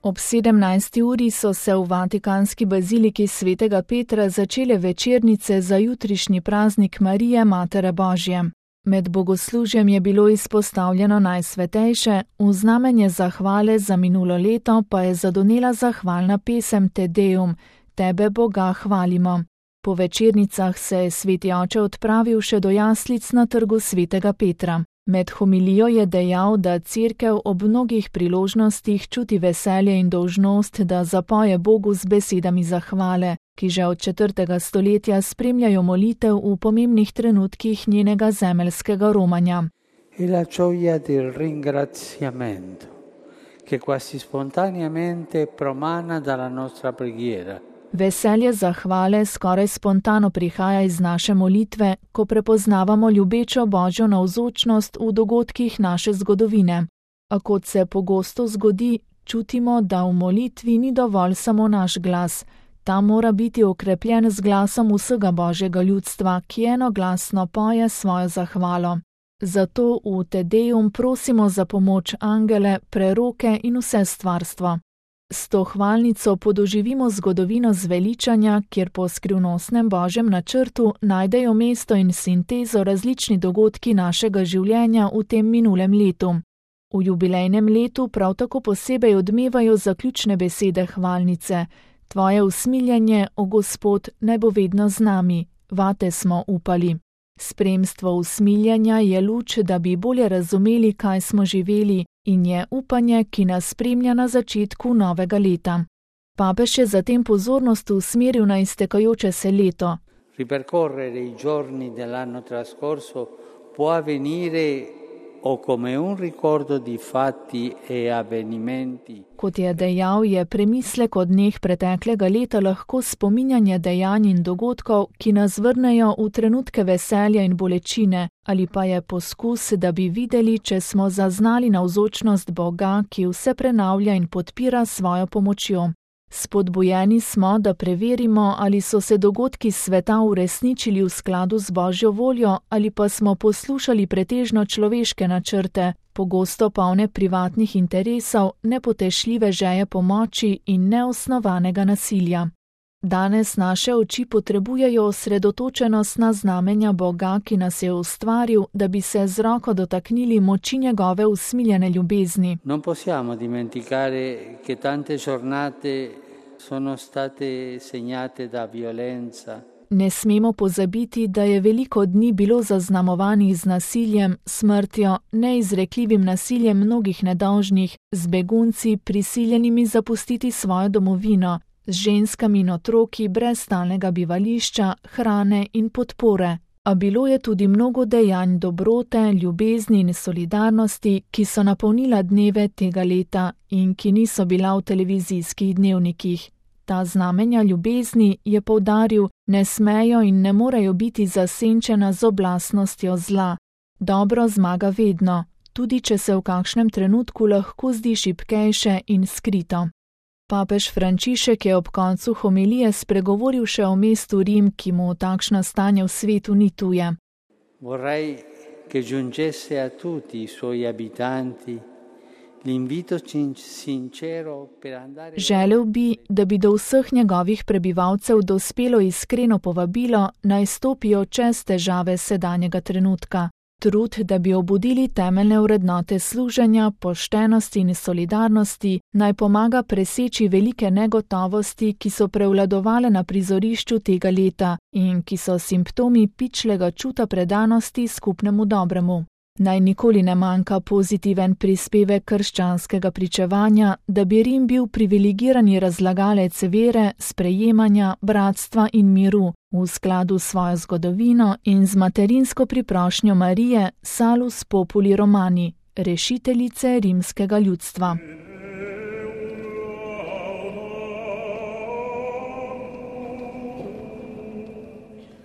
Ob 17. uri so se v vatikanski baziliki svetega Petra začele večernice za jutrišnji praznik Marije, Matere Božje. Med bogoslužjem je bilo izpostavljeno Najsvetejše, v znamenje zahvale za minulo leto pa je zadonela zahvalna pesem Te Deum, Tebe Boga hvalimo. Po večernicah se je sveti oče odpravil še do jaslic na trgu svetega Petra. Med homilijo je dejal, da cerkev ob mnogih priložnostih čuti veselje in dolžnost, da zapoje Bogu z besedami zahvale, ki že od 4. stoletja spremljajo molitev v pomembnih trenutkih njenega zemeljskega romanja. E la gioia del ringraziamento, che quasi spontaneamente promana dalla nostra preghiera. Veselje zahvale skoraj spontano prihaja iz naše molitve, ko prepoznavamo ljubečo Božjo navzočnost v dogodkih naše zgodovine. A kot se pogosto zgodi, čutimo, da v molitvi ni dovolj samo naš glas. Ta mora biti okrepljen z glasom vsega Božjega ljudstva, ki enoglasno poje svojo zahvalo. Zato v Te Deum prosimo za pomoč angele, preroke in vse stvarstvo. S to hvalnico podoživimo zgodovino zveličanja, kjer po skrivnostnem Božjem načrtu najdejo mesto in sintezo različni dogodki našega življenja v tem minulem letu. V jubilejnem letu prav tako posebej odmevajo zaključne besede hvalnice. Tvoje usmiljenje, o Gospod, naj bo vedno z nami, vate smo upali. Spremstvo usmiljanja je luč, da bi bolje razumeli, kaj smo živeli, in je upanje, ki nas spremlja na začetku novega leta. Papež je zatem pozornost usmeril na iztekajoče se leto. Ripercorrere i giorni dell'anno trascorso può avvenire o come un ricordo di fatti e avvenimenti. Kot je dejal, je premislek o dneh preteklega leta lahko spominjanje dejanj in dogodkov, ki nas vrnejo v trenutke veselja in bolečine, ali pa je poskus, da bi videli, če smo zaznali navzočnost Boga, ki vse prenavlja in podpira svojo pomočjo. Spodbujeni smo, da preverimo, ali so se dogodki sveta uresničili v skladu z Božjo voljo ali pa smo poslušali pretežno človeške načrte, pogosto polne privatnih interesov, nepotešljive želje po moči in neosnovanega nasilja. Danes naše oči potrebujejo osredotočenost na znamenja Boga, ki nas je ustvaril, da bi se z roko dotaknili moči njegove usmiljene ljubezni. Non possiamo dimenticare che tante giornate sono state segnate da violenza. Ne smemo pozabiti, da je veliko dni bilo zaznamovanih z nasiljem, smrtjo, neizrekljivim nasiljem mnogih nedolžnih, z begunci prisiljenimi zapustiti svojo domovino, z ženskami in otroki brez stalnega bivališča, hrane in podpore. A bilo je tudi mnogo dejanj dobrote, ljubezni in solidarnosti, ki so napolnila dneve tega leta in ki niso bila v televizijskih dnevnikih. Ta znamenja ljubezni, je poudaril, ne smejo in ne morejo biti zasenčena z oblastnostjo zla. Dobro zmaga vedno, tudi če se v kakšnem trenutku lahko zdi šibkejše in skrito. Papež Frančišek je ob koncu homilije spregovoril še o mestu Rim, ki mu takšno stanje v svetu ni tuje. Vorrei che giungesse a tutti i suoi abitanti l'invito sincero per andare. Želel bi, da bi do vseh njegovih prebivalcev dospelo iskreno povabilo, naj stopijo čez težave sedanjega trenutka. Trud, da bi obudili temeljne vrednote služenja, poštenosti in solidarnosti, naj pomaga preseči velike negotovosti, ki so prevladovale na prizorišču tega leta in ki so simptomi pičlega čuta predanosti skupnemu dobremu. Naj nikoli ne manjka pozitiven prispevek krščanskega pričevanja, da bi Rim bil privilegirani razlagalec vere, sprejemanja, bratstva in miru, v skladu s svojo zgodovino in z materinsko priprošnjo Marije, Salus Populi Romani, rešiteljice rimskega ljudstva.